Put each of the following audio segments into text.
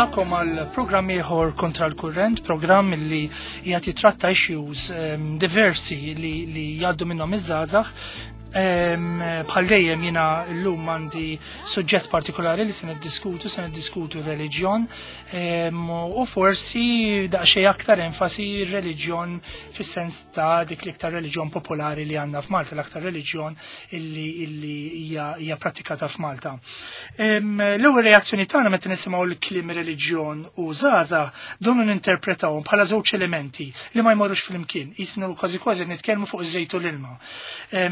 Nilqakom għal programm ieħor kontra l-kurrent, programm li qiegħed jitratta issues ehm, diversi li, li jgħaddu minnhom iż-żgħażagħ. Ehm, bħal dejjem jiena llum għandi suġġett partikolari li se niddiskutu, se niddiskutu reliġjon ehm, u forsi daqsxejn aktar enfasi reliġjon fis-sens ta' dik l-iktar reliġjon popolari li għandna f'Malta, l-aktar reliġjon illi illi hija pratikata f'Malta. L-ewwel reazzjoni tagħna meta nisimgħu l-kliem reliġjon u żgħażagħ donu ninterpretawhom bħala żewġ elementi li ma jmorrux flimkien, jisnu kważi kważi nitkellmu fuq iż-żejt u l-ilma.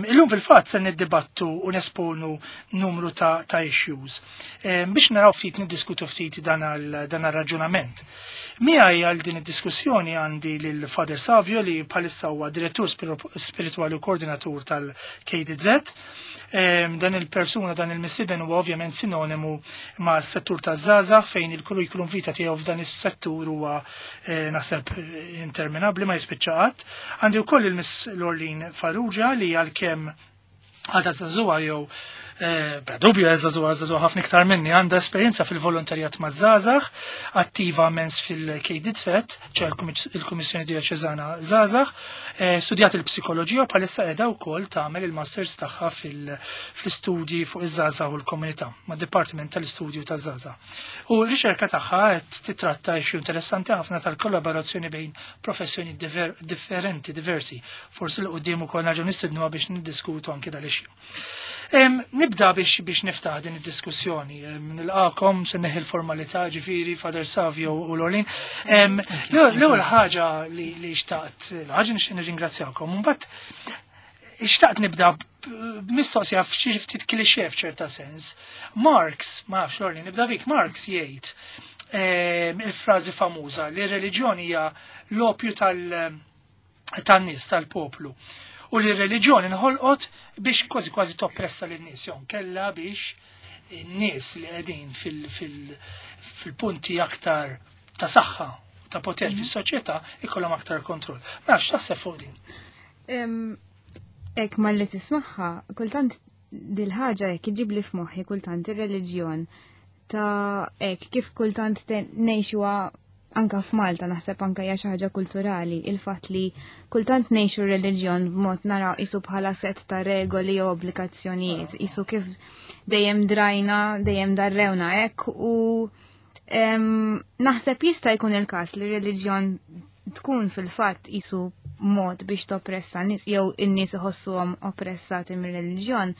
Illum fil-fatt se niddibattu u nesponu numru ta', ta issues. Biex naraw ftit niddiskutu ftit dan għal-raġunament. Miegħi għal din id-diskussjoni għandi lil Father Savio li bħalissa huwa direttur spiritwali u koordinatur tal-KDZ. Dan il-persuna, dan il-mistieden huwa ovvjament sinonimu ma' settur ta' żgħażagħ fejn il-kurrikulum vita tiegħu f'dan is-settur huwa eh, naħseb interminabbli ma jispiċċa qatt. Għandi wkoll il-Miss Lorlin Farrugia li għalkemm għadha żagħżugħa jew eh, bla dubju żagħżugħa żagħżugħa ħafna iktar minni għandha esperjenza fil-volontarjat maż-żgħażagħ, attiva mens fil-KDZ, ċe il-Kummissjoni Djoċeżana Żgħażagħ, eh, studjat il-psikoloġija u bħalissa qiegħda wkoll tagħmel il-masters tagħha fl-istudji fuq iż-żgħażagħ u l-komunità mad-Dipartiment tal-Istudju taż-Żgħażagħ. U r-riċerka tagħha qed titratta issue interessanti ħafna tal-kollaborazzjoni bejn professjoni differenti, diversi. Forsi l qudiem ukoll nerġgħu nistednuha biex niddiskutu anki dal-issue. Nibda biex biex niftaħ din id-diskussjoni. Nilqakom se neħi l-formalità ġifieri Father Savio u Lorlin. L-ewwel ħaġa li xtaqt, ħaġa nixtieq nirringrazzjakom. Mbagħad xtaqt nibda b'mistoqsija f'xi ftit klixè f'ċerta sens. Marx, ma nafx Lorlin, nibda bik Marx jgħid il-frażi famuża li r-reliġjoni hija l-opju tal- tan-nies tal-poplu. U li r-reliġjoni nħolqot biex kważi kważi toppressa lin-nies jew kella biex in-nies li qegħdin fil-punti aktar ta' saħħa ta' poter mhm. fis-soċjetà ikollhom aktar kontroll. Ma nafx taħseb fuq din. Ek malli tismaħħa, kultant dil-ħaġa jekk iġib li f'moħħi kultant ir-reliġjon ta' ek kif kultant ngħixuha anka f'Malta naħseb anka hija xi ħaġa kulturali il-fatt li kultant ngħixu r-reliġjon b'mod naraw isu bħala set ta' regoli jew obbligazzjonijiet, isu kif dejjem drajna, dejjem darrewna hekk u naħseb jista' jkun il-każ li r-reliġjon tkun fil-fatt isu mod biex toppressa nies jew in-nies iħossuhom oppressati mir-reliġjon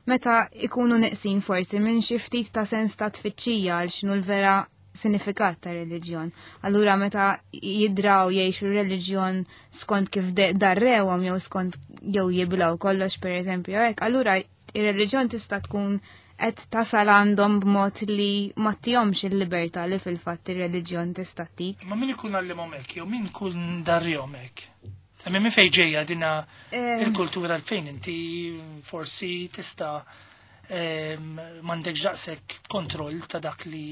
meta ikunu neqsin forsi minn xi ftit ta' sens ta' tfittxija għal x'inhu l-vera sinifikat ta' reliġjon. Allura meta jidraw jgħixu reliġjon skont kif darrewhom jew skont jew jiblaw kollox pereżempju hekk, allura ir-reliġjon tista' tkun qed tasal għandhom b'mod li ma tihomx il-libertà li fil-fatt ir-reliġjon tista' tik. Ma min ikun għallimhom hekk jew min ikun darrihom hekk? Imma minn fejn ġejja dina eh. il-kultura fejn inti forsi tista' ehm, m'għandekx daqshekk kontroll ta' dak li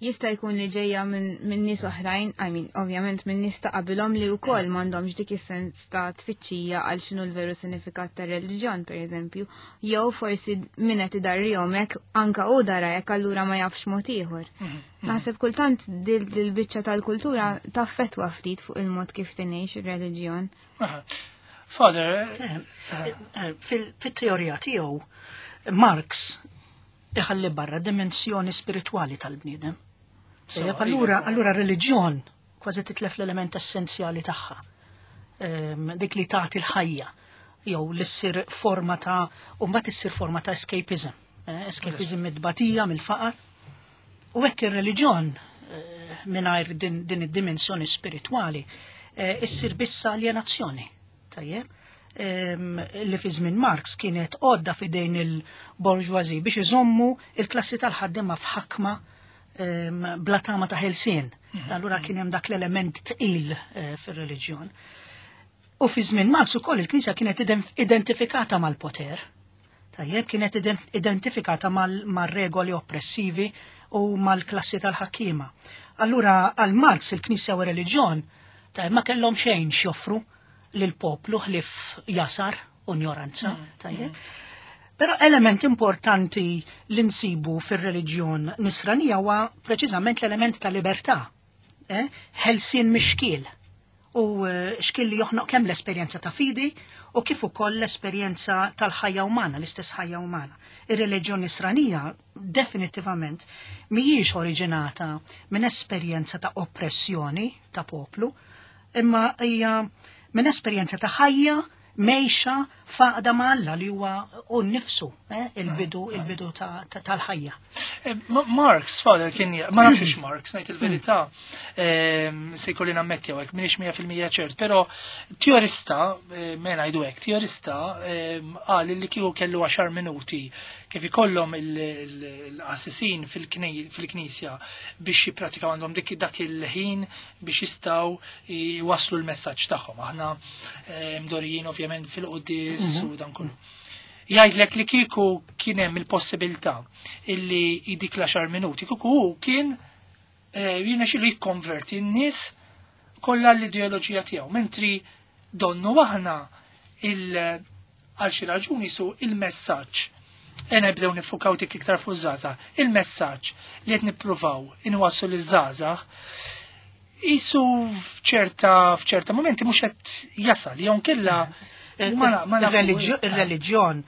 jista' jkun li ġejja minn nies oħrajn, I mean, ovvjament minn nies ta' qabilhom li wkoll m'għandhomx dik is-sens ta' tfittxija għal x'inhu l-veru sinifikat tar-reliġjon, pereżempju, jew forsi min qed idarrihom hekk anka hu dara hekk allura ma jafx mod ieħor. Mhm, mhm. Naħseb kultant dil-biċċa tal-kultura taffettwa ftit fuq il-mod kif tingħix ir-reliġjon. Father, eh, eh, eh, fil-teorija tiegħu Marx iħalli barra dimensjoni spiritwali tal-bniedem. Allura, allura reliġjon kważi titlef l-element essenzjali tagħha. Ehm, dik li tagħti l-ħajja jew li ssir forma ta' u mbagħad issir forma ta' escapism. Eh, escapism mid-batija, mill-faqar. U hekk ir-reliġjon eh, mingħajr din, din id-dimensjoni spiritwali eh, issir biss aljenazzjoni. Tajjeb, li fi żmien Marx kienet għodda f'idejn il-borġwazi biex iżommu il-klassi tal-ħaddiema f'ħakma bla tama ta' ħelsien. Mhm. Allura kien hemm dak l-element tqil eh, fir-reliġjon. U fi żmien Marx ukoll il-Knisja kienet identifikata mal-poter. Tajjeb, kienet identifikata mal-regoli oppressivi u mal-klassi tal-ħakkiema. Allura għal Marx il-Knisja u r-reliġjon tajjeb ma kellhom xejn x'joffru lill-poplu ħlief jasar u njoranza. Mm. Tajjeb. Mm. Però element importanti li nsibu fir-reliġjon nisranija huwa preċiżament l-element ta' libertà. Ħelsien mix-xkiel. U xkiel li joħnoq kemm l-esperjenza ta' fidi u kif ukoll l-esperjenza tal-ħajja umana, l-istess ħajja umana. Ir-reliġjon nisranija definitivament mhijiex oriġinata minn esperjenza ta' oppressjoni ta' poplu, imma hija minn esperjenza ta' ħajja mejxa faqda ma' Alla li huwa hu nnifsu, il-bidu, il-bidu tal-ħajja. Marx, father, kien ma nafx ix Marx, ngħid il-verità, se jkolli nammetti hawnhekk, m'iniex 100% ċert, però teorista, me ngħidu hekk, teorista qal li kieku kellu 10 minuti kif ikollhom il-qassisin fil-knisja biex jippratikaw għandhom dik dak il-ħin biex jistgħu jwasslu l-messaġġ tagħhom. Aħna mdorijin ovvjament fil-quddies u dan kollu. Jgħidlek li kieku kien hemm il-possibilità illi dik l-10 minuti, kieku hu kien jirnexxielu jikkonverti n-nies kollha l-ideoloġija tiegħu, mentri donnu aħna għal xi raġuni su il-messaġġ. Ena nibdew nifukaw dik iktar fuq żgħażagħ. Il-messaġġ li qed nippruvaw inwasslu liż-żgħażagħ isu f'ċerta momenti mhux qed jasal, jew kella ma Ir-reliġjon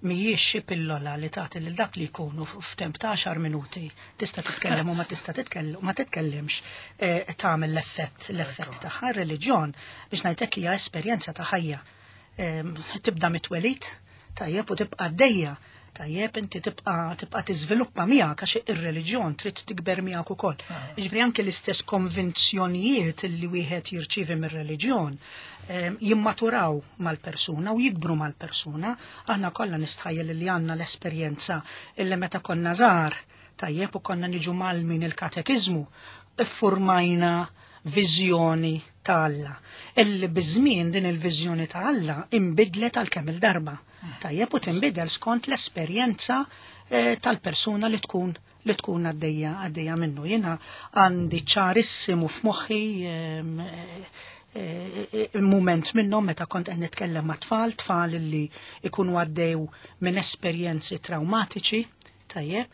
mhijiex xi pillola li tagħti lil dak li jkunu f'temp ta' 10 minuti tista' titkellem u ma tista' titkellem ma titkellimx tagħmel l-effett tagħha. Ir-reliġjon biex ngħidlek hija esperjenza ta' ħajja. Tibda mit-twelid, tajjeb, u tibqa' għaddejja. Tajjeb, inti tibqa' tiżviluppa miegħek għax ir-reliġjon trid tikber miegħek ukoll. Jiġifieri anke l-istess konvinzjonijiet li wieħed jirċievi mir-reliġjon jimmaturaw mal-persuna u jikbru mal-persuna. Aħna kollha nistħajjel li għandna l-esperjenza illi meta konna żgħar, tajjeb, u konna niġu mal-min il-katekiżmu, iffurmajna viżjoni ta' Alla. Illi biż-żmien din il-viżjoni ta' Alla imbidlet għal kemm il-darba. Tajjeb, u tinbidel skont l-esperjenza tal-persuna li tkun għaddejja minnu. Jiena għandi ċarissimu f'moħħi moment minnhom meta kont qed nitkellem ma' tfal, tfal li ikunu għaddew minn esperjenzi traumatiċi, tajjeb,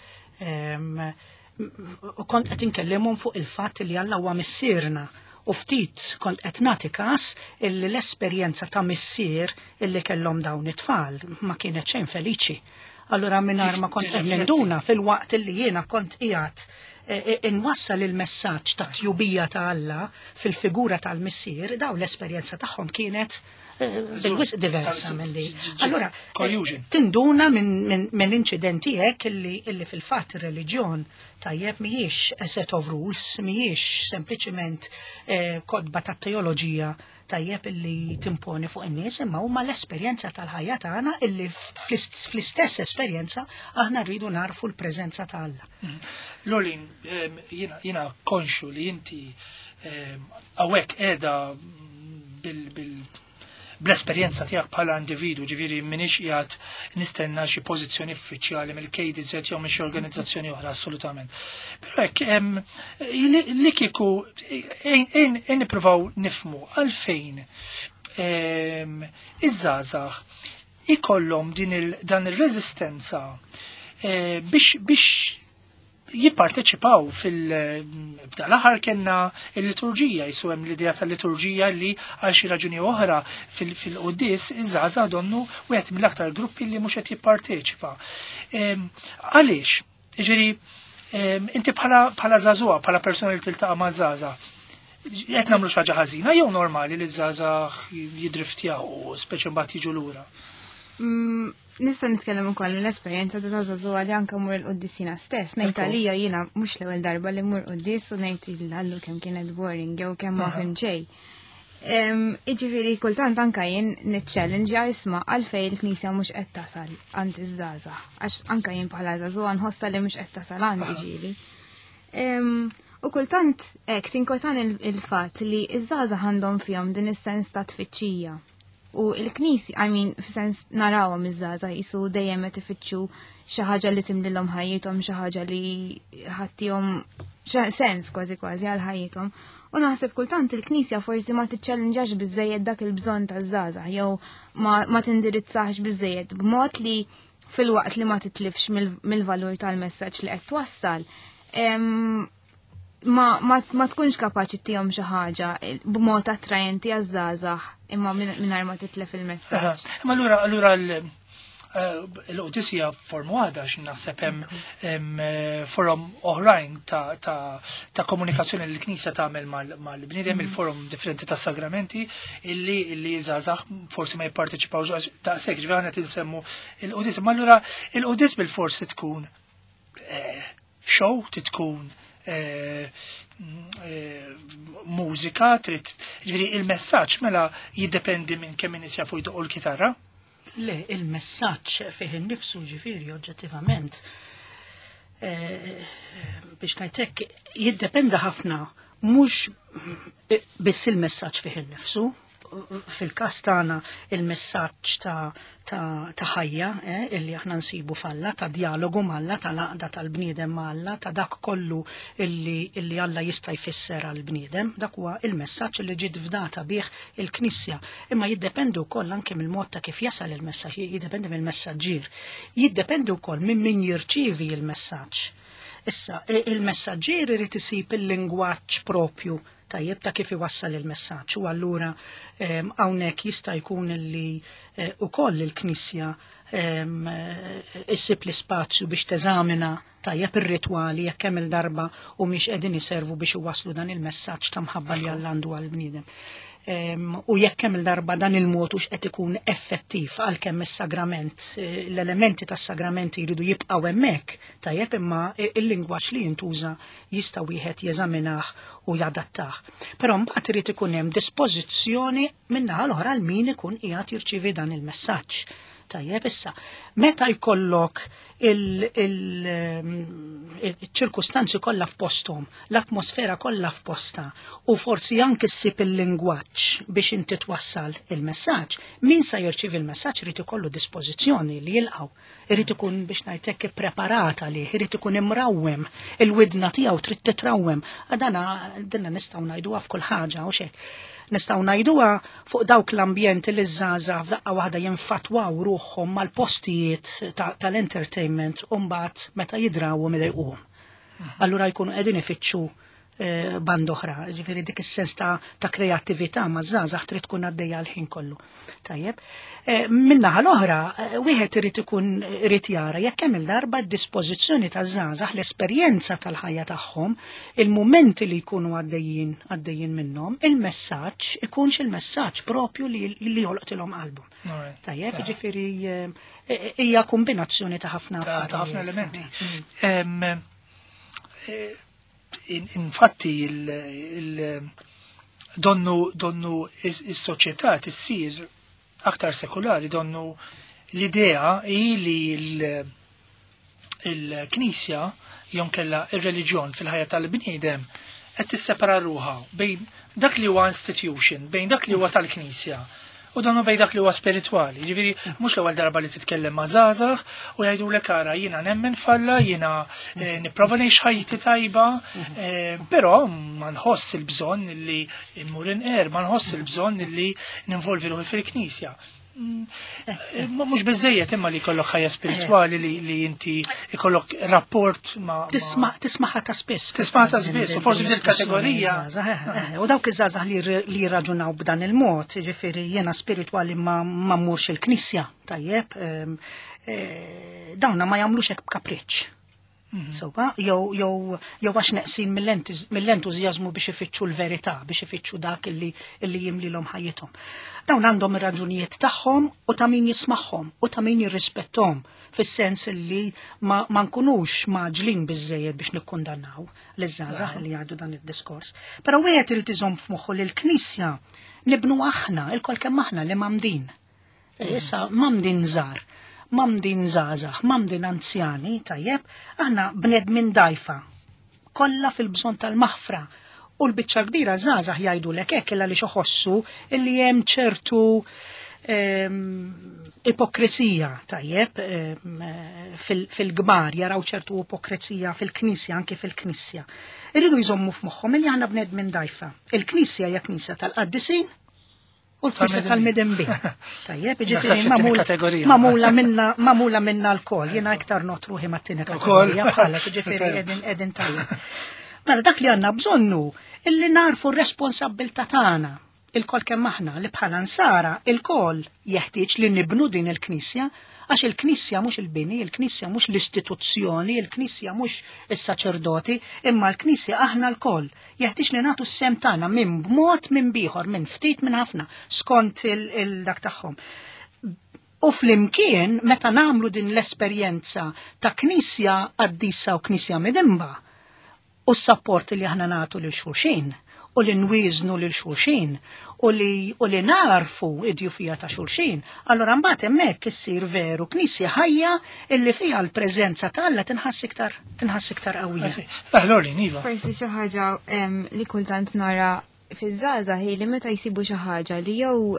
u kont qed inkellimhom fuq il-fatt li Alla huwa missierna. U ftit kont qed nagħti każ illi l-esperjenza ta' missier illi kellhom dawn it-tfal ma kienet xejn feliċi. Allura mingħajr ma kont qed ninduna fil-waqt illi jiena kont qiegħed inwassal il-messaġġ ta' tjubija ta' Alla fil-figura tal-missier, daw l-esperjenza tagħhom kienet bil-wisq diversa minn di. Allura, Collusion. tinduna minn inċidenti hekk illi fil-fatt ir-reliġjon tajjeb mhijiex a set of rules, mhijiex sempliċiment kotba ta' teoloġija tajjeb illi timponi fuq in-nies, imma huma l-esperjenza tal-ħajja tagħna illi fl-istess esperjenza aħna rridu narfu l-preżenza ta' Alla. Lorleen, jiena konxu li inti hawnhekk qiegħda bl-esperjenza tiegħek bħala individu, ġifieri m'iniex qiegħed nistenna xi pożizzjoni uffiċjali mill-KDZ jew minn xi organizzazzjoni oħra assolutament. Però hekk li kieku ejn nippruvaw nifmu għalfejn iż-żgħażagħ ikollhom dan ir-reżistenza biex jipparteċipaw fil-bdal aħħar kellna il-liturġija, jisu hemm l-idea tal-liturġija li għal xi raġuni oħra fil-quddies iż-żgħażagħ donnu wieħed mill-aktar gruppi li mhux qed jipparteċipa. Għaliex? Jiġifieri, inti bħala żagħżugħa, bħala persuna li tiltaqa' ma' żgħażagħ, qed nagħmlu xi ħaġa ħażina jew normali li ż-żgħażagħ jidriftjaw, speċi mbagħad jiġu lura? Nista' nitkellem ukoll mill-esperjenza ta' żagħżugħa li anke mur il-quddies jiena stess. Ngħid għalija jiena mhux l-ewwel darba li mur quddies u ngħid il-ħallu kemm kienet boring jew kemm ma fim xejn. Jiġifieri kultant anke jien niċċellenġja isma' għalfejn il-Knisja mhux qed tasal għand iż-żgħażagħ, għax anke jien bħala żagħżugħa nħossha li mhux qed tasal għandi ġieli. U kultant hekk tinkotan il-fatt li ż-żgħażagħ għandhom fihom din is-sens ta' tfittxija. U il-Knisja, I mean, f'sens narawhom iż-żgħażagħ jisu dejjem qed ifittxu xi ħaġa li timlilhom ħajjithom, xi ħaġa li ħattihom sens kważi kważi għal ħajjithom. U naħseb kultant il-Knisja forsi ma tiċċellenġax biżejjed dak il-bżonn taż-żgħażagħ jew ma tindirizzax biżejjed b'mod li filwaqt li ma titlifx mill-valur tal-messaġġ li qed twassal, ma, ma, ma tkunx kapaċi tihom xi ħaġa b'mod attrajenti għaż-żgħażagħ imma mingħajr ma titlef il-messaġġ. Imma allura allura l-qudis hija forma waħda għax naħseb hemm forom oħrajn ta' komunikazzjoni li l-Knisja tagħmel mal-bniedem, il-forom differenti ta' sagramenti illi żgħażagħ forsi ma jipparteċipawx għax daqshekk ġifieri aħna qed insemmu il-qudis. Ma allura il-qudis bil-forsi tkun show, tkun mużika, trid ġifieri il-messaġġ mela jiddependi minn kemm in-nies jafu jdoqqu l-kitarra. Le, il-messaġġ fih innifsu ġifieri oġġettivament biex ngħidlek jiddependa ħafna mhux biss il-messaġġ fih innifsu, fil-każ tagħna il-messaġġ ta' ħajja illi aħna nsibu f'Alla, ta' dialogu m'Alla, ta' laqda tal-bniedem m'Alla, ta' dak kollu illi Alla jista' jfisser għall-bniedem, dak huwa il-messaġġ li ġiet fdata bih il-Knisja. Imma jiddependi wkoll anke mill-mod ta' kif jasal il-messaġġ, jiddependi mill-messaġġier, jiddependi wkoll minn min jirċievi il-messaġġ. Issa, il-messaġġier irid isib il-lingwaġġ propju tajjeb ta' kif iwassal il-messaġġ u allura hawnhekk jista' jkun li ukoll il-Knisja issib l-ispazju biex teżamina tajjeb ir-ritwali jekk hemm il-darba u mhix qegħdin iservu biex iwasslu dan il-messaġġ ta' mħabba li Alla għandu għall-bniedem. U jekk hemm il-darba dan il-mod hux qed ikun effettiv għalkemm is-sagrament, l-elementi tas-sagramenti jridu jibqgħu hemmhekk, tajjeb imma il-lingwaġġ li jintuża jista' wieħed jeżaminah u jadattah. Però mbagħad irid ikun hemm dispożizzjoni min-naħa l-oħra għal min ikun qiegħed jirċievi dan il-messaġġ. Tajjeb issa, meta jkollok il-ċirkustanzi kollha f'posthom, l-atmosfera kollha f'posta u forsi anke ssib il-lingwaġġ biex inti twassal il-messaġġ, min sa jirċievi il-messaġġ irid ikollu dispożizzjoni li jilqgħu. Irid ikun biex ngħidlek ippreparat għalih, irid ikun imrawwem, il-widna tiegħu trid titrawwem. Għadana dinna nistgħu ngħiduha f'kull ħaġa u xek. Nistgħu ngħiduha fuq dawk l-ambjenti li żgħażagħ f'daqqa waħda jinfatwaw ruħhom mal-postijiet tal-entertainment u mbagħad meta jidrawhom idejquhom. Allura jkunu qegħdin ifittxu band oħra, ġifieri dik is-sens ta' kreattività ma' żgħażagħ trid tkun għaddejja l-ħin kollu. Tajjeb. Min-naħa l-oħra, wieħed irid ikun irid jara jekk hemm il-darba d-dispożizzjoni taż-żgħażagħ, l-esperjenza tal-ħajja tagħhom, il-mumenti li jkunu għaddejjin minnhom, il-messaġġ ikunx il-messaġġ propju li jolqtilhom qalbhom. Tajjeb, ġifieri hija kombinazzjoni ta' ħafna Ta' ħafna elementi. Infatti donnu is-soċjetà tissir aktar sekulari, donnu l-idea hi li il-Knisja jew kella ir-reliġjon fil-ħajja tal-bniedem qed tissepara ruħha bejn dak li huwa institution, bejn dak li huwa tal-Knisja u donnu bejn dak li huwa spiritwali. Ġifieri mhux l-ewwel darba li titkellem ma' żgħażagħ u jgħidulek ara jiena nemmen f'Alla, jiena nipprova ngħix ħajti tajba, però ma nħoss il-bżonn li immur inqer, ma nħoss il-bżonn li ninvolvi ruħi fil-Knisja. Mhux biżejjed imma li jkollok ħajja spiritwali li inti jkollok rapport ma' Tismaħa ta' spiss. Tismaħa ta' spiss, u forsi f'dil kategorija. U dawk iż-żgħażagħ li jirraġunaw b'dan il-mod, ġifieri jiena spiritwali ma mmurx il-knisja, tajjeb, dawna ma jagħmlux hekk b'kapriċċ. Sewwa, jew għax neqsin mill-entużjażmu biex ifittxu l-verità, biex ifittxu dak illi jimlilhom ħajjithom. Dawn għandhom ir-raġunijiet tagħhom u ta' min jismagħhom u ta' min jirrispettom, fis-sens li ma nkunux maġlin biżejjed biex nikkundannaw liż-żgħażagħ li jgħidu dan id-diskors. Però wieħed irid iżomm f'moħħu li l-Knisja nibnu aħna, il-kol kemm aħna li mamdin. Issa mamdin żgħar, mamdin żgħażagħ, mamdin anzjani, tajjeb, aħna bnedmin dajfa, kollha fil-bżonn tal-maħfra. U l-biċċa kbira żgħażagħ jgħidulek hekk illa li xoħossu illi hemm ċertu ipokrizija, tajjeb, fil-gbar, jaraw ċertu ipokrizija fil-knisja, anke fil-knisja. Irridu jżommu f'moħħhom illi aħna bnedmin dajfa. Il-knisja hija knisja tal-qaddisin u l-Knisja tal-Midinbin. Tajjeb, jiġifieri magħmula minna magħmula minna lkoll, jiena iktar ngħodd ruħi mat-tieni kategorija bħalek, jiġifieri qegħdin qegħdin tajjeb. Mela dak li għandna bżonnu illi narfu r-responsabbiltà tagħna ilkoll kemm aħna li bħala nsara ilkoll jeħtieġ li nibnu din il-Knisja għax il-Knisja mhux il-bini, il-Knisja mhux l-istituzzjoni, il-Knisja mhux is-saċerdoti, imma l-Knisja aħna lkoll. Jeħtieġ li nagħtu s-sehem tagħna minn b'mod minn bieħor, minn ftit minn ħafna, skont il-dak tagħhom. U flimkien meta nagħmlu din l-esperjenza ta' Knisja qaddisa u Knisja midinba, u s-sapport li aħna nagħtu lil xulxin, u li nwieżnu lil xulxin, u li u li narfu id-djufija ta' xulxin, allura mbagħad hemmhekk issir veru knisja ħajja illi fiha l-preżenza ta' Alla tinħass iktar tinħass iktar qawwija. Lorlin, iva. Forsi xi ħaġa li kultant nara fiż-żgħażagħ hi li meta jsibu xi ħaġa li jew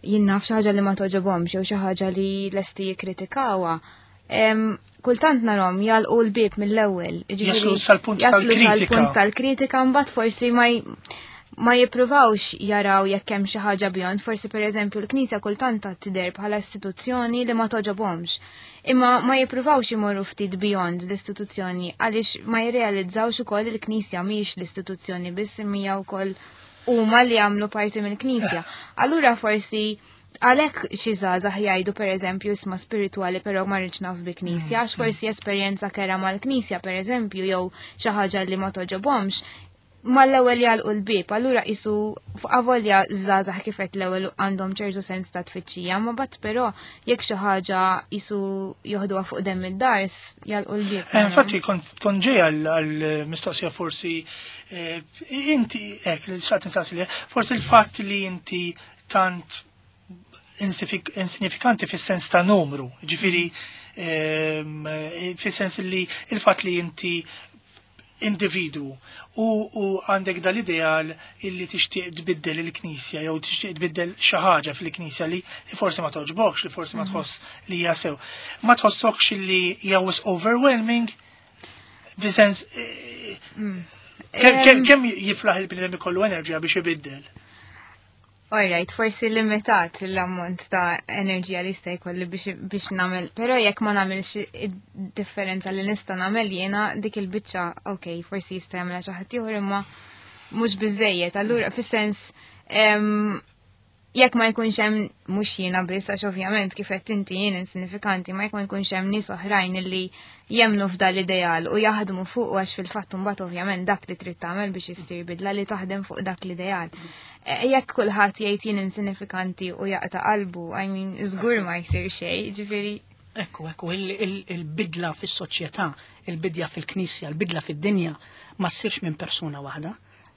jien naf xi ħaġa li ma toġobhomx jew xi ħaġa li lesti jikkritikawha, kultant narhom jalqu l-bieb mill-ewwel. Jaslu sal-punt tal-kritika. tal-kritika mbagħad forsi ma ma jippruvawx jaraw jekk hemm xi ħaġa beyond, forsi pereżempju l-Knisja kultant tidher bħala istituzzjoni li ma toġobhomx. Imma ma jippruvawx imorru ftit beyond l-istituzzjoni għaliex ma jirrealizzawx ukoll il-Knisja mhijiex l-istituzzjoni biss imma hija wkoll huma li jagħmlu parti mill-Knisja. Allura forsi Għalhekk xi żgħażagħ jgħidu pereżempju isma' spiritwali però ma rridx naf bi knisja, għax forsi esperjenza kera mal-knisja pereżempju jew xi ħaġa li ma toġobhomx, mal-ewwel jagħlqu l-bieb, allura qisu avolja żgħażagħ kif qed l-ewwel għandhom ċertu sens ta' tfittxija, ma bat però jekk xi ħaġa qisu joħduha fuq demm id-dars jagħlqu l-bieb. Eh, infatti kont ġej għall-mistoqsija forsi eh, inti hekk li xaqt insaqsi forsi l-fatt li inti tant insignifikanti fis-sens ta' numru, ġifiri ehm, fis-sens li il-fatt li inti individu u, u għandek dal-ideal illi tixtieq tbiddel il-knisja jew tixtieq tbiddel xi ħaġa fil-knisja li, li forsi ma toġbokx, li forsi ma mhm. tħoss li hija sew. Ma tħossokx li hija overwhelming fi sens eh, mm. kemm jiflaħ il-bniedem ikollu enerġija biex ibiddel? Alright, forsi limitat l-ammont ta' enerġija li jista' jkolli biex, biex nagħmel, però jekk ma nagħmilx id-differenza li nista' nagħmel jiena dik il-biċċa, ok, forsi jista' jagħmilha xi ħadd ieħor imma mhux biżejjed. Allura fis-sens jekk ma jkunx hemm mhux jiena biss għax ovvjament kif qed inti jien insinifikanti, ma jekk ma jkunx hemm nies oħrajn illi jemmnu f'dan l-ideal u jaħdmu fuq għax fil-fatt imbagħad ovvjament dak li trid tagħmel biex issir bidla li taħdem fuq dak l-ideal. E, jekk kulħadd jgħid jien insinifikanti u jaqta' qalbu, I mean, żgur ma jsir xejn, ġifieri. Ekku, ekku, il-bidla fis-soċjetà, il-bidja fil-knisja, il-bidla fid-dinja ma ssirx minn persuna waħda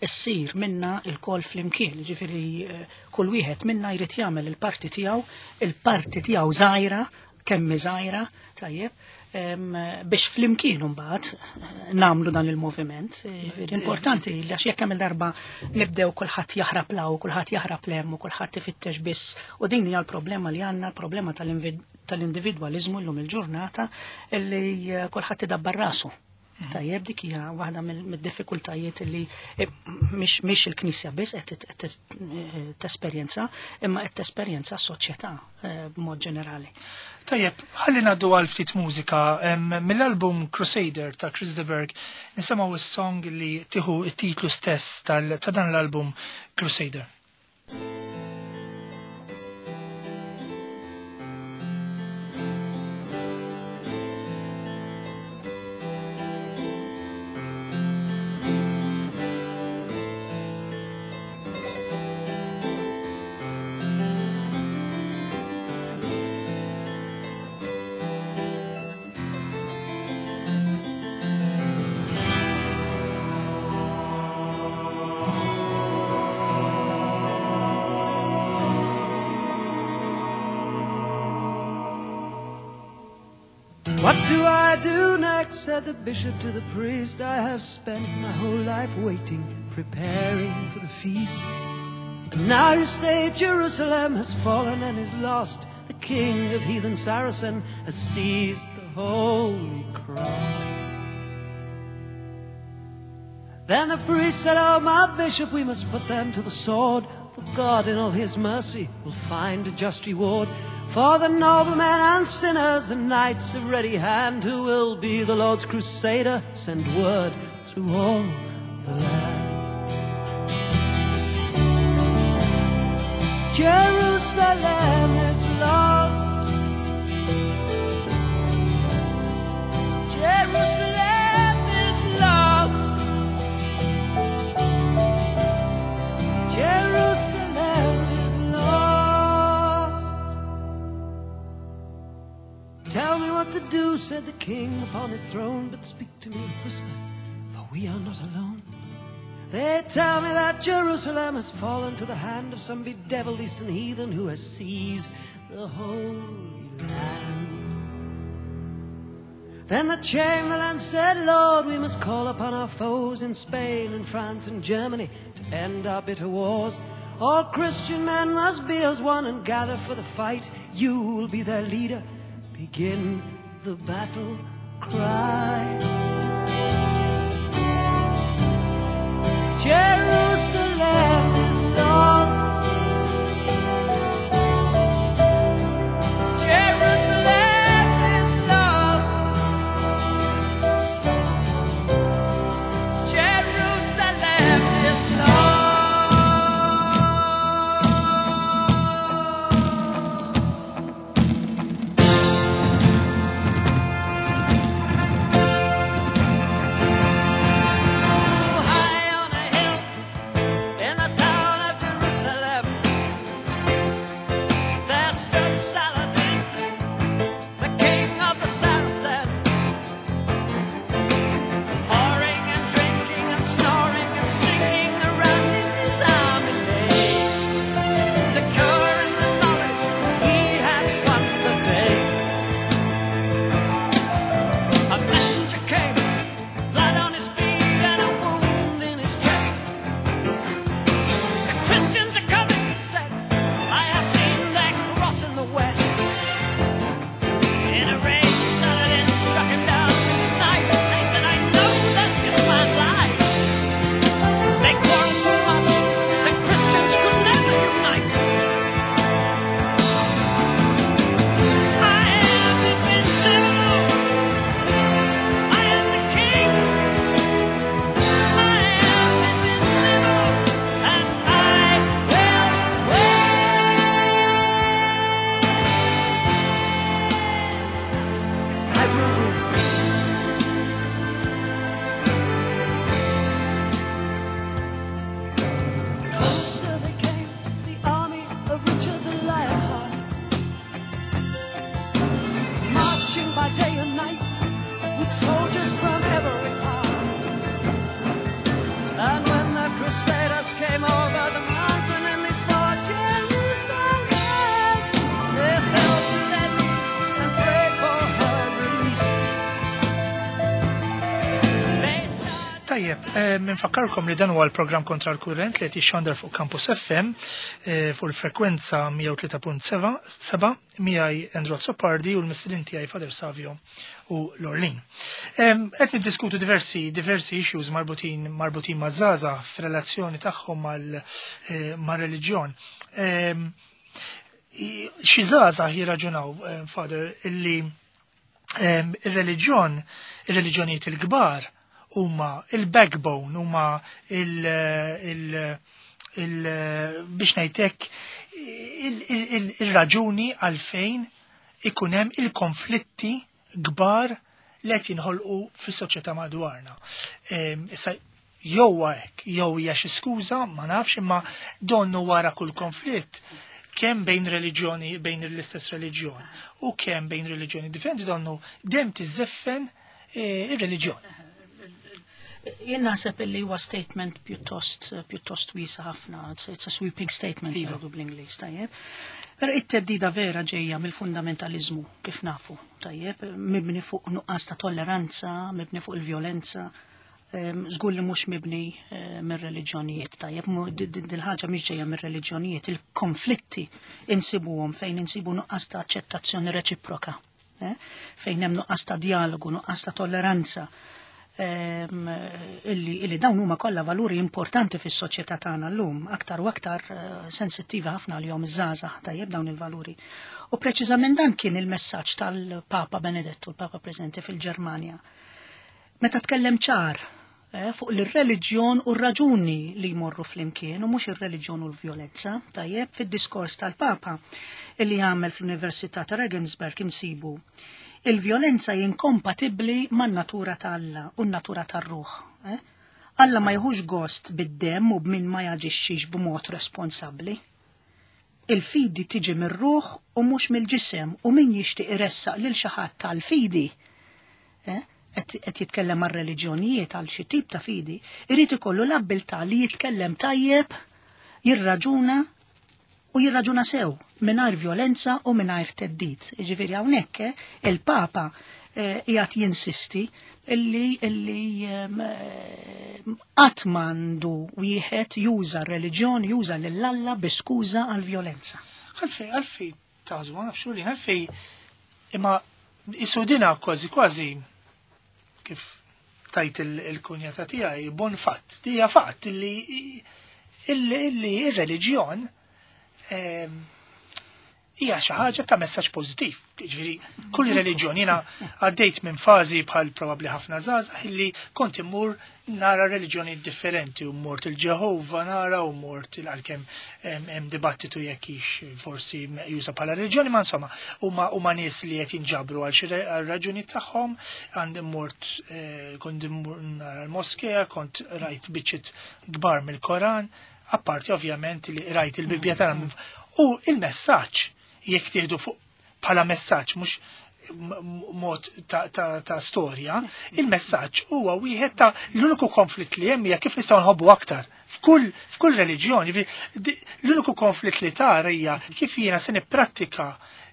issir minna il-kol flimkien, ġifiri eh, kull wieħed minna jrid jagħmel il-parti tiegħu, il-parti tiegħu żgħira, kemm żgħira, tajjeb, biex flimkien imbagħad eh, nagħmlu dan il-moviment. Eh, importanti li għax jekk hemm darba nibdew kulħadd jaħrab law, kulħadd jaħrab lem u kulħadd ifittex biss. U din hija l-problema li għandna, problema tal-individwaliżmu llum il-ġurnata li eh, kulħadd idabbar rasu. Mhm. Tajjeb dik hija waħda mid-diffikultajiet li eh, mhix il-Knisja biss qed eh, tesperjenza, imma qed tesperjenza s-soċjetà eh, b'mod ġenerali. Tajjeb, ħalli ngħaddu għal ftit mużika mill-album Crusader ta' Chris de Berg nisimgħu is-song li tieħu t-titlu stess ta' dan l-album Crusader. What do I do next? said the bishop to the priest. I have spent my whole life waiting, preparing for the feast. And now you say Jerusalem has fallen and is lost. The king of heathen Saracen has seized the holy cross. Then the priest said, Oh, my bishop, we must put them to the sword. For God in all his mercy will find a just reward for the noblemen and sinners and knights of ready hand who will be the Lord's crusader, send word through all the land. Jerusalem is lost. Jerusalem is lost. Jerusalem is lost. Tell me what to do, said the king upon his throne, but speak to me in whispers, for we are not alone. They tell me that Jerusalem has fallen to the hand of some bedeviled eastern heathen who has seized the Holy Land. Then the Chamberlain said, Lord, we must call upon our foes in Spain and France and Germany to end our bitter wars. All Christian men must be as one and gather for the fight. You will be their leader. Begin the battle cry. Jerusalem is lost. Jerusalem is lost. Jerusalem is lost. High on a hill in the town of Jerusalem, there stood Saladin, the king of the Saracens, whoring and drinking and snoring and singing around in his army lay, secure in the knowledge he had won the day. A messenger came, blood on his feet and a wound in his chest. The Christians are coming, he said. I have seen their cross in the west. In a rage, Saladin struck him down with his knife. And he said, I know that this man lies. They quarrel too much. The Christians could never unite. I am invincible. I am the king. I am invincible, and I will win. I will win. Closer they came, the army of Richard the Lionheart, marching by day and night with soldiers from every part. And when the crusaders came over the mountain and they saw Jerusalem, they fell to their knees and prayed for her release. They started Tajjeb, minfakkarkom li dan huwa l-programm Kontra l-Kurrent li qed jixxandar fuq Campus FM fuq il-frekwenza 103.7 miegħi Andrew Azzopardi u l-mistedin tiegħi Father Savio u Lorlin. Qed niddiskutu diversi issues marbutin ma' żgħażagħ f'relazzjoni tagħhom mar-reliġjon. Xi żgħażagħ jirraġunaw, Father, illi ir-reliġjon, ir-reliġjonijiet il-kbar huma il-backbone, huma il biex ngħidlek il-raġuni għalfejn ikun hemm il-konflitti kbar li qed jinħolqu fis-soċjetà madwarna. Issa jew hekk, jew hija xi skuża, ma nafx, imma donnu wara kull konflitt kemm bejn reliġjoni, bejn l-istess reliġjon, u kemm bejn reliġjoni differenti donnu dem tiżeffen ir-reliġjon. Jien naħseb illi huwa statement pjuttost wiesa ħafna, it's a sweeping statement jgħidu bl-Ingliż, tajjeb. Però it-teddida vera ġejja mill-fundamentalizmu, kif nafu, tajjeb, mibni fuq nuqqas ta' tolleranza, mibni fuq il-vjolenza, żgur li mhux mibni mir-reliġjonijiet, tajjeb, dil-ħaġa mhix ġejja mir-reliġjonijiet, il-konflitti insibuhom fejn insibu nuqqas ta' aċċettazzjoni reċiproka, fejn hemm nuqqas ta' dialogu, nuqqas ta' tolleranza. Illi dawn huma kollha valuri importanti fis-soċjetà tagħna llum, aktar u aktar sensittiva ħafna għalihom iż-żgħażagħ, tajjeb, dawn il-valuri. U preċiżament dan kien il-messaġġ tal-Papa Benedettu, il-Papa preżenti fil-Ġermanja. Meta tkellem ċar fuq l-reliġjon u r-raġuni li jmorru flimkien u mhux ir-reliġjon u l-vjolenza, tajjeb, fid-diskors tal-Papa illi għamel fl-Università ta' Regensburg insibu il-vjolenza inkompatibbli man-natura ta' Alla u n-natura tar-ruħ. Alla ma jħux gost bid-demm u b'min ma jaġixxix b'mod responsabbli. Il-fidi tiġi mir-ruħ u mhux mill-ġisem u min jixtieq iressaq lil xi ħadd tal-fidi, qed jitkellem għal reliġjonijiet, għal xi tip ta' fidi, irid ikollu l-abbiltà li jitkellem tajjeb, jirraġuna u jirraġuna sew, mingħajr vjolenza u mingħajr theddid. Jiġifieri hawnhekk il-Papa qiegħed jinsisti illi qatt m'għandu wieħed juża r-reliġjon, juża lil Alla bi skuża għal vjolenza. Għalfej tażu, ma nafx li, għalfej imma isudina kważi kważi kif tajt il-kunjata tiegħi bon fatt, dija fatt illi ir-reliġjon hija xi ħaġa ta' messaġġ pożittiv. Ġifieri, kull reliġjon, jiena għaddejt minn fażi bħal probabbli ħafna żgħażagħ illi kont immur nara reliġjoni differenti u mort il-Ġehova nara u mort il-għalkemm hemm dibattitu jekk hix forsi meqjusa bħala reliġjoni, ma insomma huma nies li qed jinġabru għal xi raġuni tagħhom, għandi mort kont immur nara l-moskea, kont rajt biċċiet kbar mill-Koran, apparti ovvjament li rajt il-Bibbja tagħna. U il-messaġġ jekk tieħdu fuq bħala messaġġ mhux mod ta' storja, il-messaġġ huwa wieħed ta' l-uniku konflitt li hemm hija kif nistgħu nħobbu aktar. F'kull reliġjoni, l-uniku konflitt li tara hija kif jiena se nipprattika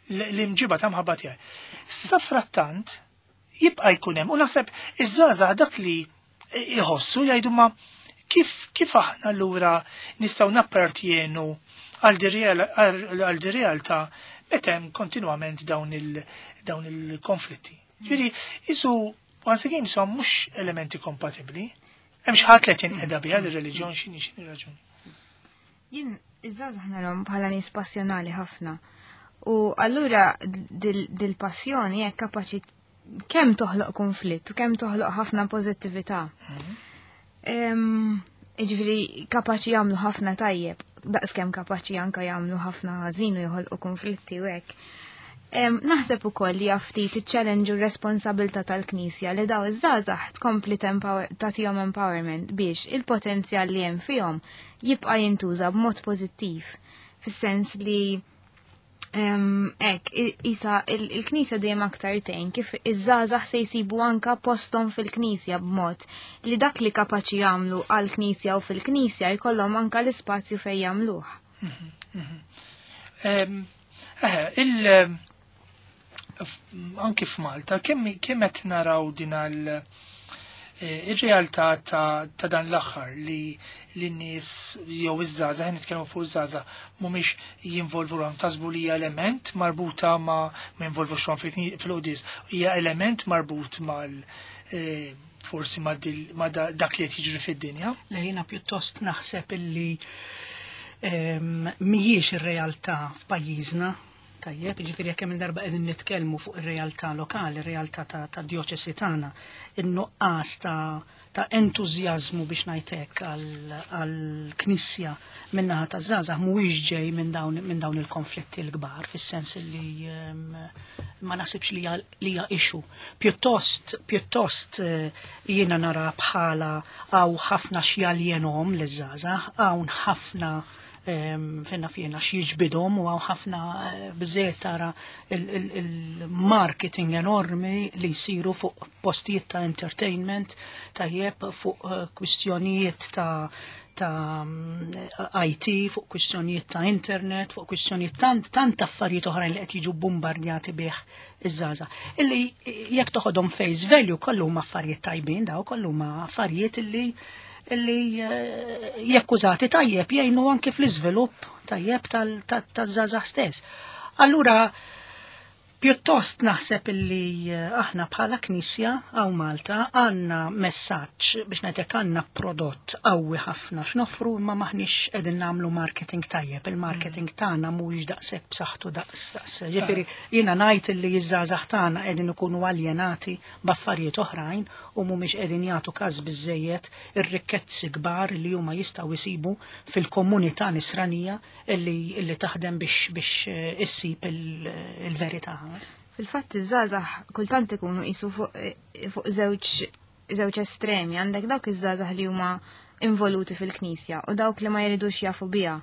l-imġiba ta' mħabba tiegħi. Safrattant jibqa' jkun hemm u naħseb iż-żgħażagħ dak li jħossu jgħidu ma kif aħna allura nistgħu nappartjenu għal di realtà meta hemm kontinwament dawn il-konflitti. Ġifieri, isu once again, so mhux elementi kompatibbli. Hemm xi ħadd li qed jinqeda biha ir-reliġjon, x'inhi raġuni. Jien iż-żgħażagħ narhom bħala nies passjonali ħafna. U allura dil-passjoni hekk kapaċi kemm toħloq konflitt u kemm toħloq ħafna pożittività. Jiġifieri kapaċi jagħmlu ħafna tajjeb, daqskemm kapaċi anka jagħmlu ħafna ħażin u joħolqu konflitti u hekk. Naħseb ukoll li ftit iċ-challenge u responsabilità tal-Knisja li daw iż-żgħażagħ tkompli tagħtihom empowerment biex il-potenzjal li hemm fihom jibqa' jintuża b'mod pożittiv, fis-sens li hekk, isa il-Knisja dejjem aktar tgħin kif iż-żgħażagħ se jsibu anka posthom fil-Knisja b'mod li dak li kapaċi jagħmlu għall-Knisja u fil-Knisja jkollhom anka l-ispazju fejn jagħmluh. Anki f'Malta, kemm qed naraw din ir-realtà ta' dan l-aħħar li n-nies jew iż-żgħażagħ, nitkellmu fuq iż-żgħażagħ, mhumiex jinvolvu ruħhom, taħsbu li hija element marbuta ma jinvolvux ruħhom fil-qudis, hija element marbut mal forsi ma dak li qed jiġri fid-dinja? Le, jiena pjuttost naħseb illi mhijiex ir-realtà f'pajjiżna. Tajjeb, ġifieri jekk hemm darba qegħdin nitkellmu fuq ir-realtà lokali, ir-realtà ta' djoċesi tagħna, in-nuqqas ta' entużjażmu biex ngħidlek għall-Knisja min-naħa taż-żgħażagħ mhuwiex ġej minn dawn il-konflitti l-kbar, fis-sens li ma naħsibx li hija issue. Pjuttost jiena nara bħala hawn ħafna x'jaljenhom liż-żgħażagħ, hawn ħafna finna fjena x'jiġbidhom u hawn ħafna biżejjed tara il-marketing enormi li jsiru fuq postijiet ta' entertainment, tajjeb, fuq kwistjonijiet ta' IT, fuq kwistjonijiet ta' internet, fuq kwistjonijiet tant affarijiet oħrajn li qed jiġu bombardjati bih iż-żgħażagħ. Illi jekk toħodhom face value kollu huma affarijiet tajbin, daw kollu huma affarijiet illi jekk użati tajjeb jgħinu anke fl-iżvilupp tajjeb taż-żgħażagħ stess. Allura Pjuttost naħseb illi aħna bħala Knisja hawn Malta għandna messaġġ biex ngħidlek għandna prodott qawwi ħafna x'noffru imma maħniex qegħdin nagħmlu marketing tajjeb. Il-marketing tagħna mhuwiex daqshekk b'saħħtu daqs daqs. Ġifieri jiena ngħid illi ż-żgħażagħ tagħna qegħdin ikunu aljenati b'affarijiet oħrajn u mhumiex qegħdin jagħtu każ biżejjed ir-rikkezzi kbar li huma jistgħu jsibu fil-komunità nisranija illi taħdem biex issib il-verità. Fil-fatt iż-żgħażagħ kultant ikunu qisu fuq żewġ estremi, għandek dawk iż-żgħażagħ li huma involuti fil-Knisja u dawk li ma jridux jafu biha.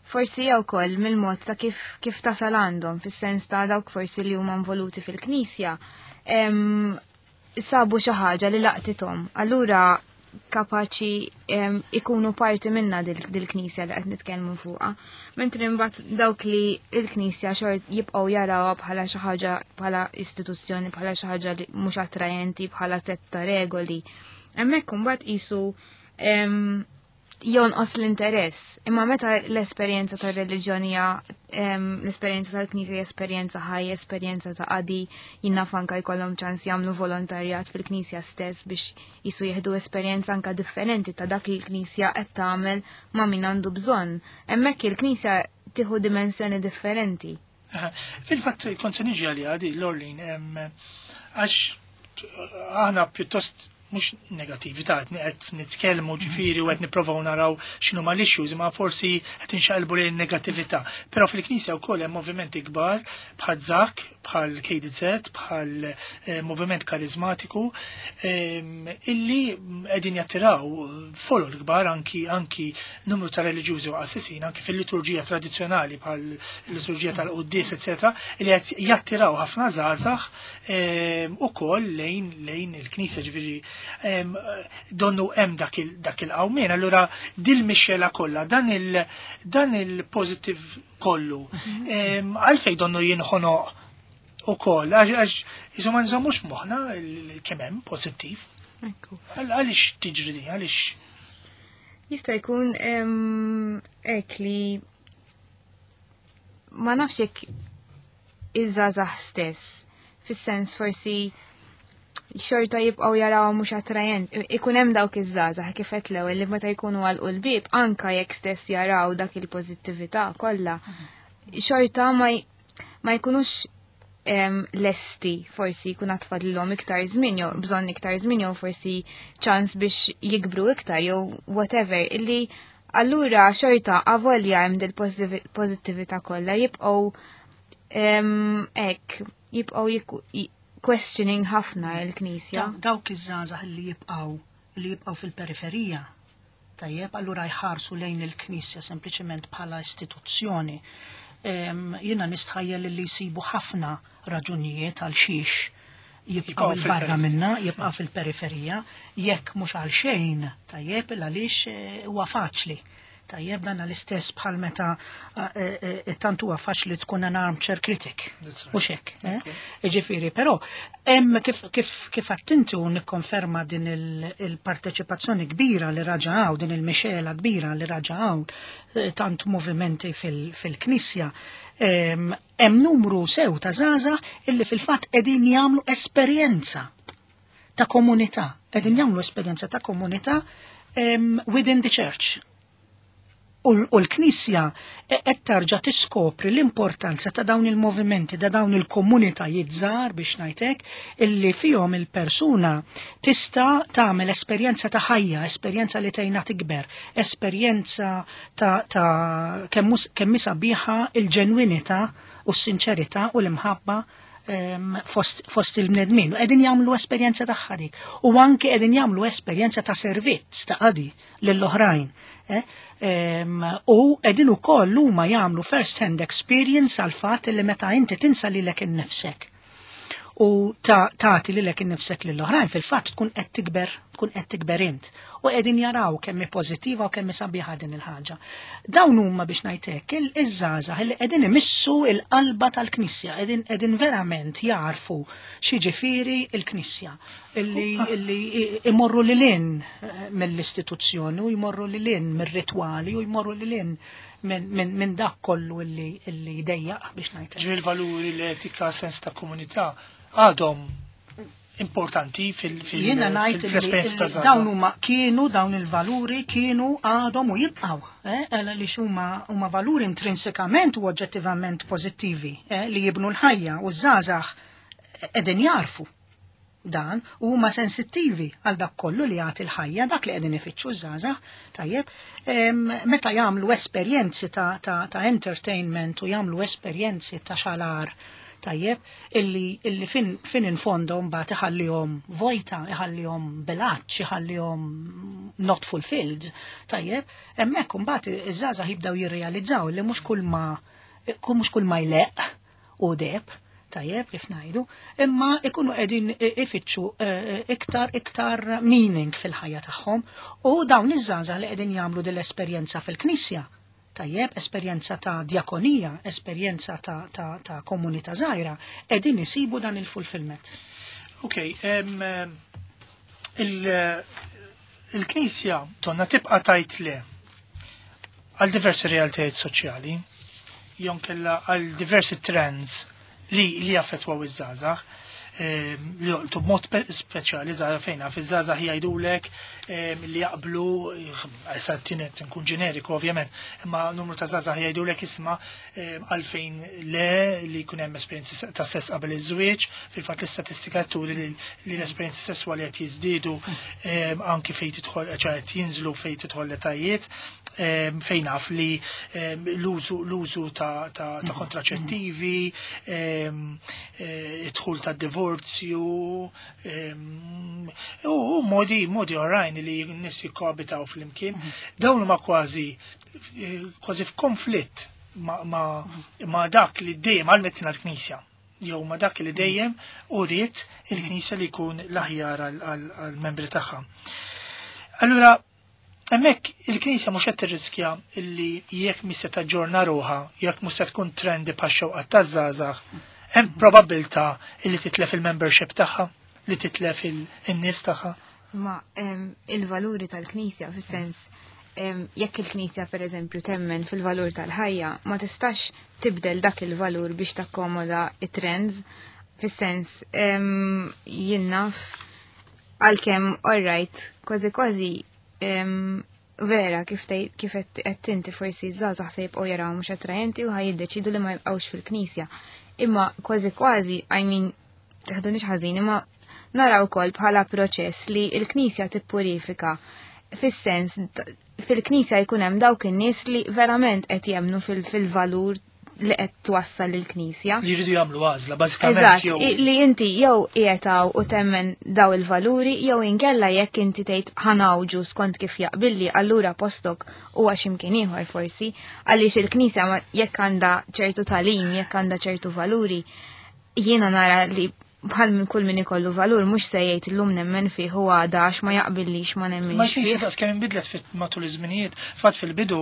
Forsi jew ukoll mill-mod ta' kif tasal għandhom, fis-sens ta' dawk forsi li huma involuti fil-Knisja, sabu xi ħaġa li laqtithom. Allura kapaċi ikunu parti minna dil-Knisja li qed nitkellmu fuqha. Mentri mbagħad dawk li l-Knisja xort jibqgħu jarawha bħala xi ħaġa, bħala istituzzjoni, bħala xi ħaġa li mhux attrajenti, bħala sett ta' regoli. Hemmhekk imbagħad qisu jonqos l-interess. Imma meta l-esperjenza tar-reliġjon hija l-esperjenza tal-Knisja hija esperjenza ħajja, esperjenza ta' qadi, jiena anka jkollhom ċans jagħmlu volontarjat fil-Knisja stess biex jisu jieħdu esperjenza anka differenti ta' dak li l-Knisja qed tagħmel ma' min għandu bżonn. Hemmhekk il-Knisja tieħu dimensjoni differenti. Fil-fatt kont se niġi għaliha di Lorleen, għax aħna pjuttost mhux negatività, qed nitkellmu ġifieri u qed nipprovaw naraw x'inhu ma l-issues, imma forsi qed inxaqilbu lejn negattività. Però fil-Knisja wkoll hemm movimenti kbar bħal ZAK, bħal KDZ, bħal moviment karizmatiku, illi qegħdin jattiraw folol kbar anki numru ta' reliġjużi u qassisin, anki fil-liturġija tradizzjonali bħal liturġija tal-Quddies, eccetera, illi qed jattiraw ħafna żgħażagħ ukoll lejn il-Knisja, ġifieri donnu hemm dak il-qawmien. Allura dil-mixxela kollha, dan il-positive kollu, għalfejn donnu jinħonoq ukoll, għax isu ma nżommux f'moħħna kemm hemm pożittiv. Għaliex tiġri din, għaliex? Jista' jkun hekk li ma nafx jekk iż-żgħażagħ stess, fis-sens forsi xorta jibqgħu jaraw mhux attrajent. Ikun hemm dawk iż-żgħażagħ kif qed l-ewwel li meta jkunu għalqu l-bieb anka jekk stess jaraw dak il-pożittività kollha, xorta ma jkunux lesti, forsi jkun għatfadlhom iktar żmien jew bżonn iktar żmien jew forsi ċans biex jikbru iktar jew whatever, illi allura xorta avolja hemm dil pożittività kollha jibqgħu hekk, jibqgħu questioning ħafna l-Knisja. Dawk iż-żgħażagħ li jibqgħu fil-periferija, tajjeb, allura jħarsu lejn il-Knisja sempliċement bħala istituzzjoni. Jiena nistħajjel li jsibu ħafna raġunijiet għal xiex jibqgħu Jibqgħu il-barra fil-periferija. minna, jibqgħu fil-periferija, jekk mhux għal xejn, tajjeb, għaliex huwa faċli. Tajjeb, dan l-istess bħal meta tant huwa faċli tkun an armchair critic. That's right. U xek, eh? Ġifieri, però hemm kif attinti u nikkonferma din il-parteċipazzjoni kbira li raġa hawn, din il-mixela kbira li raġa hawn, tant movimenti fil-Knisja, hemm numru sew ta' żgħażagħ illi fil-fatt qegħdin jagħmlu esperjenza ta' komunità, qegħdin jagħmlu esperjenza ta' komunità within the church. U l-Knisja qed tarġa' tiskopri l-importanza ta' dawn il-movimenti, ta' dawn il-komunitajiet żgħar biex ngħidlek, illi fihom il-persuna tista' tagħmel esperjenza ta' ħajja, esperjenza li tgħinha tikber, esperjenza ta' kemm sabiħa il-ġenwinità u s-sinċerità u l-imħabba fost il-bnedmin. U qegħdin jagħmlu esperjenza tagħha dik. U anke qegħdin jagħmlu esperjenza ta' servizz ta' qadi lill-oħrajn. U qegħdin ukoll huma jagħmlu first hand experience għal fatt li meta inti tinsa lilek innifsek u tagħti lilek innifsek lill-oħrajn, fil-fatt tkun qed tikber, tkun qed tikber int. U qegħdin jaraw kemm hi pożittiva u kemm hi sabiħa din il-ħaġa. Dawn huma biex ngħidlek iż-żgħażagħ li qegħdin imissu l-qalba tal-Knisja, qegħdin verament jarfu x'jiġifieri l-Knisja, illi imorru lil hinn mill-istituzzjoni u jmorru lil hinn mir-ritwali u jmorru lil hinn minn dak kollu illi jdejjaq biex ngħid. Ġifieri l-valuri, l-etika, sens ta' komunità għadhom importanti Jiena ngħid fil-esperjenza ta' żgħażagħ. Dawn huma kienu dawn il-valuri kienu għadhom u jibqgħu, għaliex huma valuri intrinsikament u oġġettivament pożittivi, li jibnu l-ħajja u ż-żgħażagħ qegħdin jarfu dan u huma sensittivi għal dak kollu li jagħti l-ħajja, dak li qegħdin ifittxu ż-żgħażagħ, tajjeb, meta jagħmlu esperjenzi ta' entertainment u jagħmlu esperjenzi ta' xalar, tajjeb, illi fin infondo mbagħad iħallihom vojta, iħallihom bilaċ, iħallihom not fulfilled, tajjeb, hemmhekk imbagħad iż-żgħażagħ jibdew jirrealizzaw li mhux kull ma jleq u deb, tajjeb, kif ngħidu, imma ikunu qegħdin ifittxu iktar meaning fil-ħajja tagħhom u dawn iż-żgħażagħ li qegħdin jagħmlu din l-esperjenza fil-Knisja, tajjeb, esperjenza ta' diakonija, esperjenza ta' komunità żgħira, qegħdin isibu dan il-fulfillment. Ok, il-Knisja tonna tibqa' tajt le għal diversi realtajiet soċjali, jew kella għal diversi trends li jaffettwaw iż-żgħażagħ, li joqtu b'mod speċjali żgħażagħ fejn naf iż-żgħażagħ jgħidulek li jaqblu, issa tienet nkun ġeneriku ovvjament, imma numru ta' żgħażagħ jgħidulek isma' għalfejn le li jkun hemm esperjenzi ta' sess qabel iż-żwieġ, fil-fatt l-istatistika turi li l-esperjenzi sesswali qed jiżdiedu, anki fejn tidħol, ċe qed jinżlu fejn tidħol l-etajiet, fejn naf li l-użu ta' kontraċettivi, id-dħul ta' divorzju, u modi oħrajn li n-nies jikkoabitaw flimkien. Dawn huma kważi f'konflitt ma' dak li dejjem għalmetna l-Knisja, jew ma' dak li dejjem uriet il-Knisja li jkun l-aħjar għall-membri tagħha. Allura, hemmhekk il-Knisja mhux qed tirriskja illi jekk mhix se taġġorna ruħha, jekk mhux se tkun trendi bħax-xewqat taż-żgħażagħ, hemm probabilità illi titlef il-membership tagħha, li titlef in-nies tagħha. Ma il-valuri tal-Knisja fis-sens, jekk il-Knisja per eżempju temmen fil-valur tal-ħajja, ma tistax tibdel dak il-valur biex takkomoda it-trends, fis-sens, jien naf għalkemm all right, kważi kważi, vera kif tgħid, kif qed inti forsi żgħażagħ se jibqgħu jaraw mhux attrajenti u ħajjiddeċidu li ma jibqgħux fil-Knisja. Imma kważi kważi, I mean, teħdunix ħażin, imma naraw ukoll bħala proċess li l-Knisja tippurifika fis-sens fil-Knisja jkun hemm dawk in-nies li verament qed jemmnu fil-valur li qed twassal lill-Knisja. Li jridu jagħmlu għażla, bażikament Eżatt, jew li inti jew qiegħed hawn u temmen daw il-valuri, jew inkella jekk inti tgħid ħanawġu skont kif jaqbilli, allura postok huwa x'imkien ieħor forsi, għaliex il-Knisja jekk għandha ċertu tagħlim, jekk għandha ċertu valuri, jiena nara li bħal minn kull min ikollu valur mhux se jgħid illum nemmen fih u għada għax ma jaqbillix ma nemminx Ma xi fih. daqs kemm inbidlet matul iż-żminijiet. Fatt fil-bidu,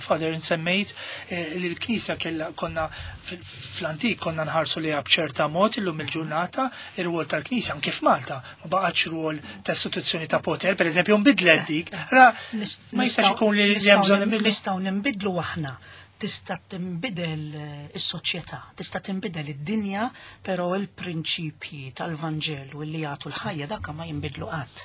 Father, insemmejt li l-Knisja kellha konna fl-antik konna nħarsu liha b'ċerta mod, illum il-ġurnata ir-rwol tal-Knisja anke f'Malta ma baqgħetx rwol ta' istituzzjoni ta' poter, pereżempju nbidlet dik. Ra ma jistax ikun li hemm bżonn nbidlu. Nistgħu nbidlu aħna. Tista' tinbidel is-soċjetà, tista' tinbidel id-dinja, però il-prinċipji tal-Vanġelu li jagħtu l-ħajja dak ma jinbidlu qatt.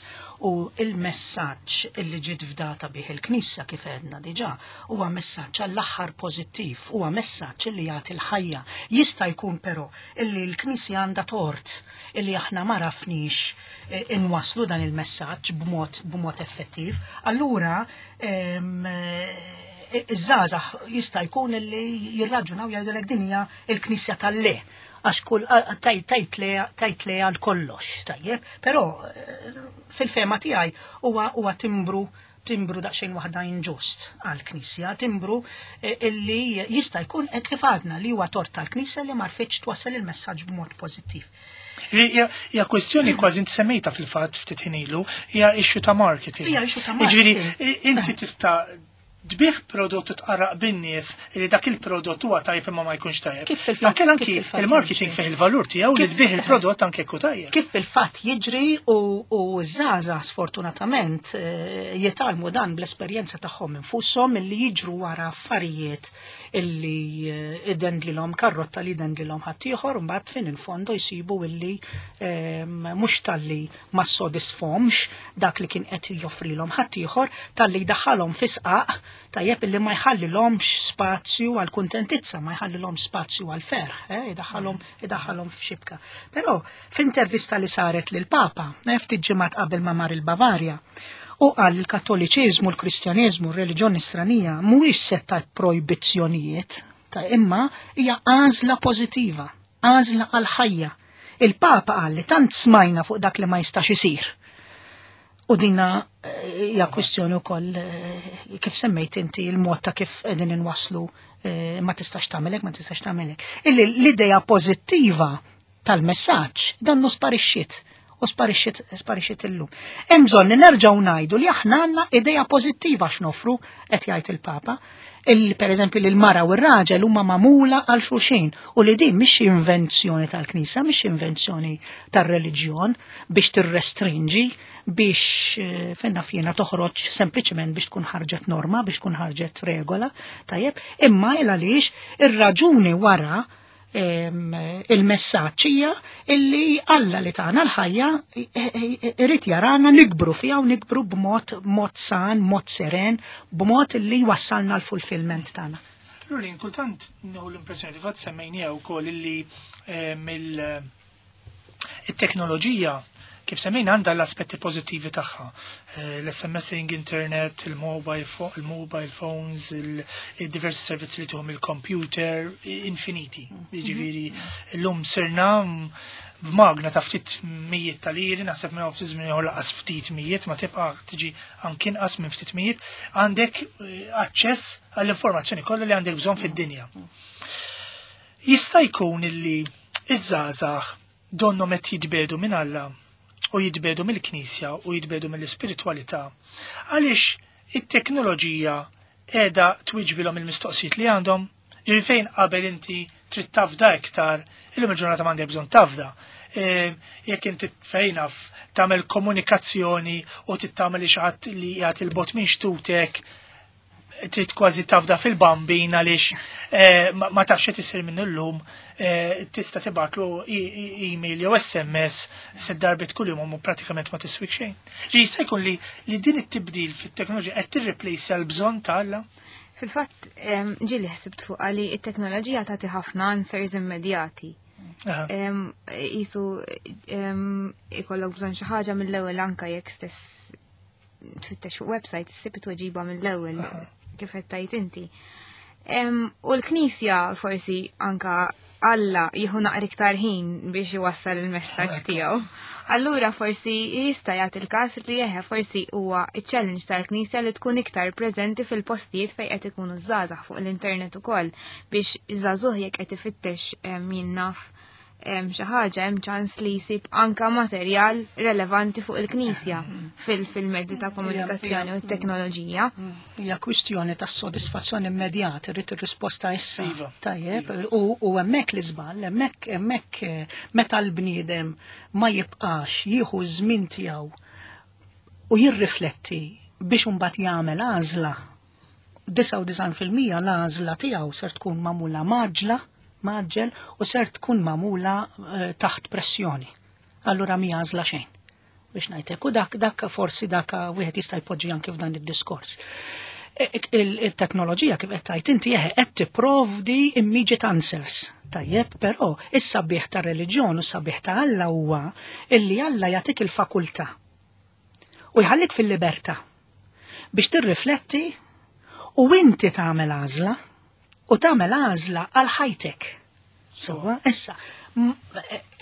U il-messaġġ illi ġiet fdata bih il-Knisja kif għedna diġà huwa messaġġ għall-aħħar pożittiv, huwa messaġġ illi jagħti l-ħajja. Jista' jkun però illi l-Knisja għandha tort illi aħna ma rafniex inwaslu dan il-messaġġ b'mod effettiv. Allura, iż-żgħażagħ jista' jkun illi jirraġunaw jgħidulek din hija l-Knisja tal-le, għax kull, tajt le, tajt le għal kollox, tajjeb, però fil-fema tiegħi huwa timbru daqsxejn waħda inġust għall-Knisja, timbru illi jista' jkun hekk kif għadna li huwa tort tal-Knisja li ma rfitx twassal il-messaġġ b'mod pożittiv. Hija kwestjoni kważi inti semmejta fil-fatt ftit ħin ilu, hija issue ta' marketing. Hija issue ta' Jiġifieri, marketing. inti tista' tbigħ prodott u tqarraq bin-nies li dak il-prodott huwa tajjeb imma ma jkunx tajjeb. Kif fil-fatt Anke kif fil-fatt il-marketing jiġri. fih il-valur tiegħu li Kif- tbigħ il-prodott anke jekk hu tajjeb. Kif fil-fatt jiġri u żgħażagħ sfortunatament jitgħallmu dan bl-esperjenza tagħhom infushom illi jiġru wara affarijiet illi idendlilhom karrotta li idendlilhom ħaddieħor u mbagħad fin il-fondo jsibu illi mhux talli ma ssodisfhomx dak li kien qed joffrilhom ħaddieħor, talli jdaħħalhom fi sqaq tajjeb illi ma jħallilhomx spazju għal kuntentizza, ma jħallilhomx spazju għal ferħ, idaħħalhom f'xibka. Però f'intervista li saret lil Papa, ftit ġimgħat qabel ma mar il-Bavarja, u qal il-Kattoliċiżmu, l-Kristjaneżmu, r-reliġjon Nisranija mhuwiex sett ta' projbizzjonijiet, ta' imma hija għażla pożittiva, għażla għal ħajja. Il-Papa qal li tant smajna fuq dak li ma jistax isir. U dina hija kwistjoni wkoll kif semmejt inti il-mod ta' kif qegħdin inwasslu ma tistax tagħmelek, ma tistax tagħmelek. Illi l-idea pożittiva tal-messaġġ dan sparixxiet u sparixxiet illum. Hemm bżonn li nerġgħu ngħidu li aħna għandna idea pożittiva x'nofru, qed jgħid il-Papa, illi per eżempju li l-mara u r-raġel huma magħmula għal xulxin u li din mhix invenzjoni tal-Knisja, mhix invenzjoni tar-reliġjon biex tirrestrinġi, biex fenna fjena toħroġ sempliċement biex tkun ħarġet norma, biex tkun ħarġet regola, tajjeb, imma il għaliex ir-raġuni wara il-messaġġ hija illi Alla li tagħna l-ħajja irid jarana nikbru fiha u nikbru b'mod mod san, mod seren, b'mod illi wassalna l-fulfillment tagħna. Lulin, kultant nieħu l-impressjoni li fatt semmejniha wkoll illi it-teknoloġija kif semmejna għandha l-aspetti pożittivi tagħha. L-SMSing, internet, il-mobile phones, il-diversi servizzi li tuhom il-computer, infiniti. Jiġifieri llum sirna b'magna ta' ftit mijiet ta' liri, naħseb minn ftit żmien ieħor laqas ftit mijiet, ma tibqa' tiġi anki inqas minn ftit mijiet, għandek aċċess għall-informazzjoni kollha li għandek bżonn fid-dinja. Jista' jkun illi iż-żgħażagħ donhom qed jitbedu minn Alla u jitbedu mill-Knisja u jitbedu mill-ispiritwalità għaliex it-teknoloġija qiegħda twiġbilhom il-mistoqsijiet li għandhom. Ġifieri fejn qabel inti trid tafda iktar, illum il-ġurnata m'għandek bżonn tafda. Jekk inti fejn naf tagħmel komunikazzjoni u trid tagħmel xi ħadd li qiegħed il-bot minn xtutek, trid kważi tafda fil-bambin għaliex ma tafx x'qed isir minnu llum, tista' tibgħatlu email jew SMS se darbit kuljum u pratikament ma tiswik xejn. Ġi jista' jkun li din it-tibdil fit-teknoloġija qed tirreplejsja l-bżonn ta' Alla? Fil-fatt, ġieli ħsibt fuq li t-teknoloġija tagħti ħafna answers immedjati. Jisu ikollok bżonn xi ħaġa mill-ewwel anke jekk stess tfittex fuq website issib it-tweġiba mill-ewwel kif qed tgħid inti. U l-Knisja forsi anka Alla jieħu naqra iktar ħin biex iwassal il-messaġġ tiegħu. Allura forsi jista' jagħti il-każ li jeħe forsi huwa iċ-challenge tal-Knisja li tkun iktar preżenti fil-postijiet fejn qed ikunu żgħażagħ fuq l-internet ukoll biex iż-żagħżugħ jekk qed ifittex jien naf xi ħaġa hemm ċans li jsib anka materjal relevanti fuq il-Knisja fil-mezzi ta' komunikazzjoni u t-teknoloġija. Hija kwistjoni ta' sodisfazzjoni immedjata, irrid ir-risposta issa. Tajjeb, u hemmhekk li żball, hemmhekk meta l-bniedem ma jibqax jieħu ż-żmien tiegħu u jirrifletti biex imbagħad jagħmel għażla, disgħa u disgħin fil-mija l-għażla tiegħu ser tkun magħmula maġla, maġġel u ser tkun magħmula taħt pressjoni. Allura mi għażla xejn. Biex ngħidlek, u dak forsi dak wieħed jista' jpoġġi anke f'dan id-diskors. Il-teknoloġija kif qed tgħid inti eħe qed tipprovdi immediate answers. Tajjeb, però is-sabiħ ta' reliġjon u s-sabiħ ta' Alla huwa illi Alla jagħtik il-fakultà u jħallik fil-libertà biex tirrifletti u inti tagħmel għażla u tagħmel għażla għal ħajtek. Sewwa, issa,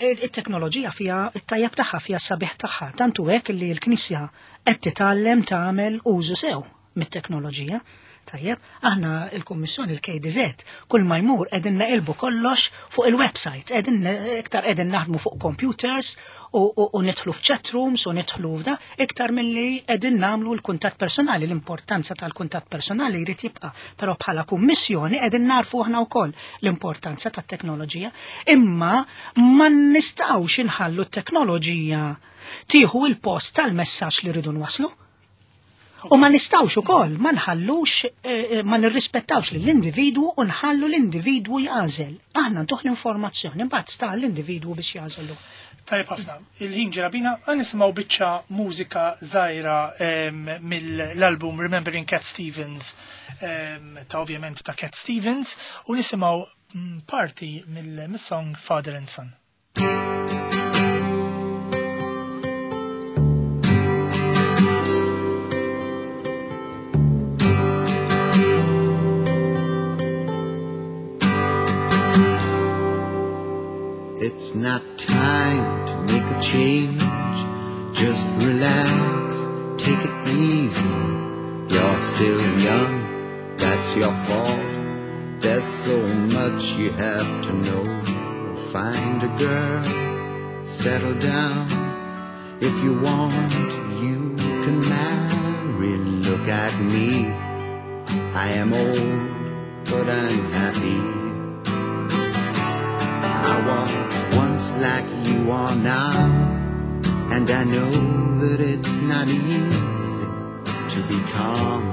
it-teknoloġija fija it-tajjeb tagħha, fija s-sabiħ tagħha, tantu hekk li l-Knisja qed titgħallem tagħmel użu sew mit-teknoloġija. Tajjeb, aħna il-Kummissjoni il-KDZ, kull ma jmur qegħdin naqilbu kollox fuq il-website, qegħdin iktar qegħdin naħdmu fuq computers u nidħlu f'chat rooms u nidħlu f'da, iktar milli qegħdin nagħmlu l-kuntatt personali, l-importanza tal-kuntatt personali jrid jibqa', però bħala kummissjoni qegħdin narfu aħna wkoll l-importanza tat-teknoloġija, imma ma nistgħux inħallu t-teknoloġija tieħu l-post tal-messaġġ li rridu nwasslu. U ma nistawx ukoll ma nħallux eh, eh, ma nirrispettawx lill-individwu u nħallu l-individwu jagħżel. Aħna ntuħ l-informazzjoni, mbagħad sta l-individwu biex jagħżelu. Tajjeb ħafna. Il-ħin ġera bina, għan nisimgħu biċċa mużika żgħira mill-album Remembering Cat Stevens ta' ovvjament ta' Cat Stevens u nisimgħu mm, parti mill-song Father and Son. It's not time to make a change. Just relax, take it easy. You're still young, that's your fault. There's so much you have to know. Find a girl, settle down. If you want, you can marry. Look at me. I am old, but I'm happy. I was once like you are now, and I know that it's not easy to be calm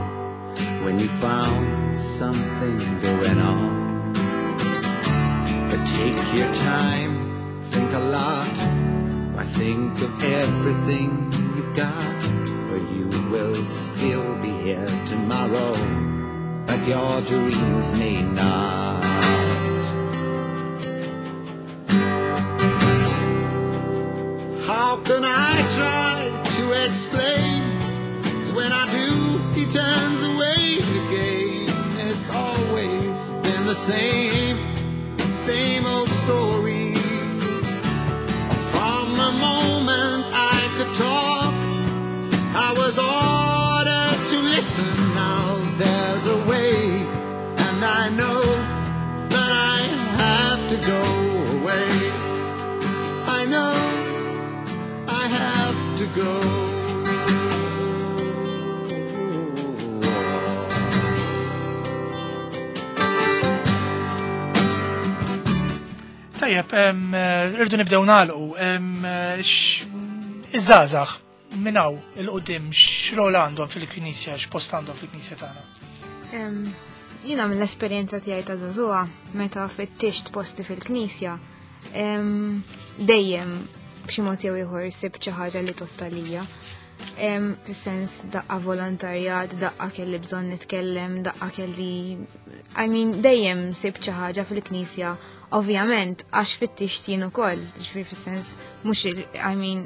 when you found something going on. But take your time, think a lot. Why think of everything you've got, for you will still be here tomorrow, but your dreams may not. How can I try to explain? When I do, he turns away again. It's always been the same, same old story. From the moment I could talk, I was ordered to listen. Now there's a way, and I know that I have to go away. I know I have to go. Tajjeb, eh, irdu nibdew nagħlqu. Eh, iż-żgħażagħ minn hawn il-qudiem x'rol għandhom fil-Knisja, x'post għandhom fil-Knisja tagħna? Jiena mill-esperjenza tiegħi ta' żagħżugħa meta fittixt posti fil-Knisja, dejjem b'xi mod jew ieħor sibt xi ħaġa li tottalija. Fis-sens daqqa volontarjat, daqqa kelli bżonn nitkellem, daqqa kelli I mean, dejjem sibt xi ħaġa fil-Knisja, ovvjament għax fittixt jien ukoll, ġifieri fis-sens mhux I mean,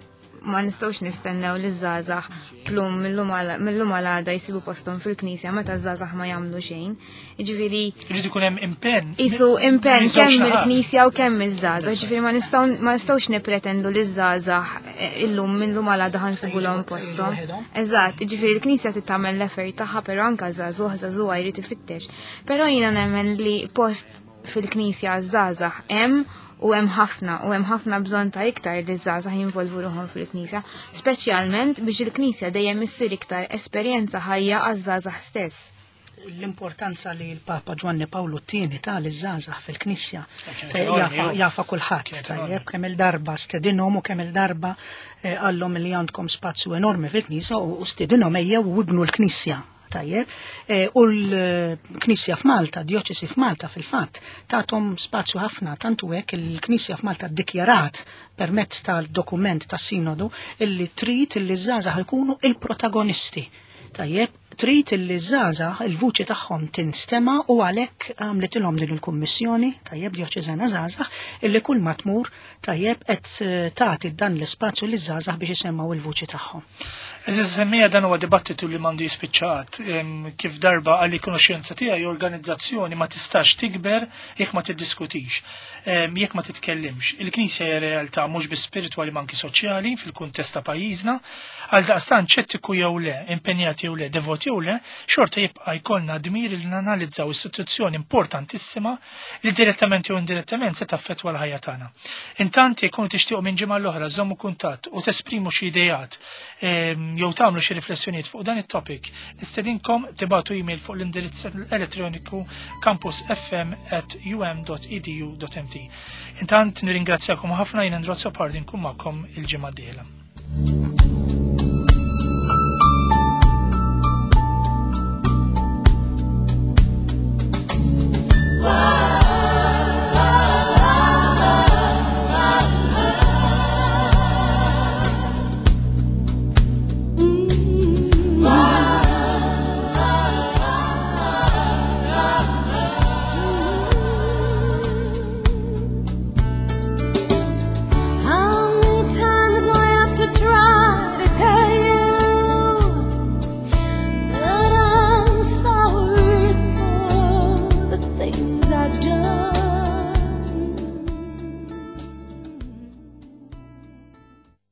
ma nistgħux nistennew li żgħażagħ plum millum għal għada jsibu posthom fil-Knisja meta żgħażagħ ma jagħmlu xejn. Jiġifieri Irid ikun hemm impenn. Isu impenn Miż-żewġ kemm naħat. mill-Knisja u kemm miż-żgħażagħ. Ġifieri ma nistgħu ma nistgħux nippretendu li ż-żgħażagħ eh, illum millum għal għada ħa nsibulhom posthom. waħedhom. Eżatt, ġifieri l-Knisja tagħmel l-effort tagħha, però anke żagħżugħ żagħżugħa jrid ifittex. Però jiena nemmen li post fil-Knisja żgħażagħ hemm u hemm ħafna u hemm ħafna bżonn ta' iktar li żgħażagħ jinvolvu ruħhom fil-Knisja, speċjalment biex il-Knisja dejjem issir iktar esperjenza ħajja għaż-żgħażagħ stess. L-importanza li l-Papa Ġwanni Pawlu t-tieni ta liż-żgħażagħ fil-Knisja Kienet ta' enormi, jafa, ju. jafa kulħadd Kienet tajjeb enormi. kemm il-darba stedinhom u kemm il-darba eh, qallhom li għandkom spazju enormi fil-Knisja u stedinhom ejjew u ibnu l-Knisja. Tajjeb, Eh, u l-Knisja f'Malta, djoċesi f'Malta fil-fatt, tathom spazju ħafna, tantu hekk il-Knisja f'Malta ddikjarat permezz tal-dokument tas-sinodu illi trid illi żgħażagħ ikunu il-protagonisti. Tajjeb, trid illi żgħażagħ il-vuċi tagħhom tinstema u għalhekk għamlitilhom din il-kummissjoni, tajjeb djoċeżana żgħażagħ, illi kull ma tmur tajjeb qed eh, tagħti dan l-ispazju li żgħażagħ biex isemmgħu il-vuċi tagħhom. Eżiż semmija dan huwa dibattitu li m'għandu jispiċċat kif darba għalli konoxenza tiegħi organizzazzjoni ma tistax tikber jekk ma tiddiskutix, jekk ma titkellimx. Il-Knisja hija realtà mhux biss spiritwali ma anki soċjali fil-kuntest ta' pajjiżna, għal daqstant ċettiku jew le, impenjat jew le, devot jew le, xorta jibqa' jkollna dmir li nanalizzaw istituzzjoni importantissima li direttament jew indirettament se taffettwa l-ħajja tagħna. Intant jekk tixtiequ minn ġimgħa l-oħra żommu kuntatt u tesprimu xi ideat jew tagħmlu xi riflessjonijiet fuq dan it-topic, nistedinkom tibagħtu email fuq l-indirizz elettroniku campusfm@um.edu.mt. Intant nirringrazzjakom ħafna, jien Androzzo Pardi, nkun magħkom il-ġimgħa d-dieħla.